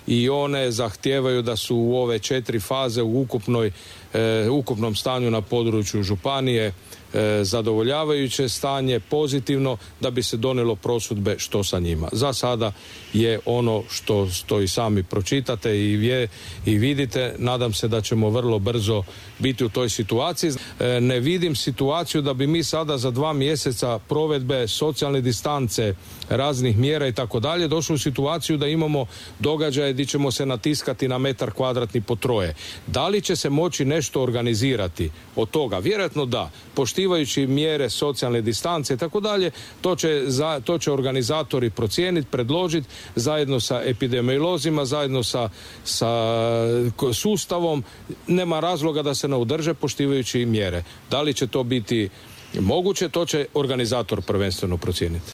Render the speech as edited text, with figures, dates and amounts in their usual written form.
i one zahtijevaju da su u ove 4 faze u ukupnom stanju na području županije zadovoljavajuće stanje, pozitivno, da bi se donijelo prosudbe što sa njima. Za sada je ono što i sami pročitate i vidite. Nadam se da ćemo vrlo brzo biti u toj situaciji. Ne vidim situaciju da bi mi sada za 2 mjeseca provedbe socijalne distance, raznih mjera i tako dalje došli u situaciju da imamo događaje gdje ćemo se natiskati na metar kvadratni po troje. Da li će se moći nešto organizirati od toga? Vjerojatno da. Poštivajući mjere socijalne distance i tako dalje, to će organizatori procijeniti, predložiti zajedno sa epidemiolozima, zajedno sa sustavom. Nema razloga da se ne održe poštivajući mjere. Da li će to biti moguće, to će organizator prvenstveno procijeniti.